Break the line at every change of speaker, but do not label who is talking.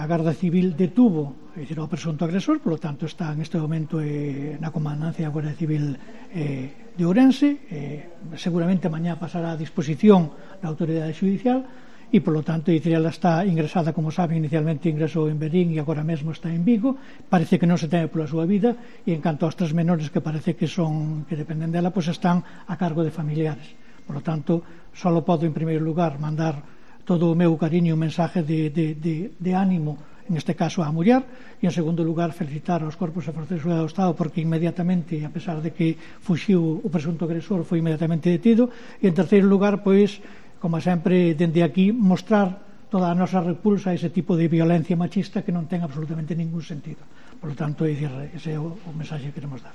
A Garda Civil detuvo o presunto agresor, polo tanto está neste momento na comandancia da Guardia Civil de Ourense, seguramente mañá pasará a disposición da autoridade judicial e, polo tanto, ela está ingresada, como saben, inicialmente ingresou en Verín e agora mesmo está en Vigo. Parece que non se teme pola súa vida, e en canto aos 3 menores que parece que dependen dela, pois están a cargo de familiares. Polo tanto, só podo en primeiro lugar mandar todo o meu cariño e un mensaje de ánimo, en este caso á muller, e en segundo lugar felicitar aos corpos e forzas de seguridade do Estado, porque inmediatamente, a pesar de que fuxiu o presunto agresor, foi inmediatamente detido, e en terceiro lugar, pois, como sempre, dende aquí, mostrar toda a nosa repulsa a ese tipo de violencia machista que non ten absolutamente ningún sentido. Por lo tanto, ese é o mensaxe que queremos dar.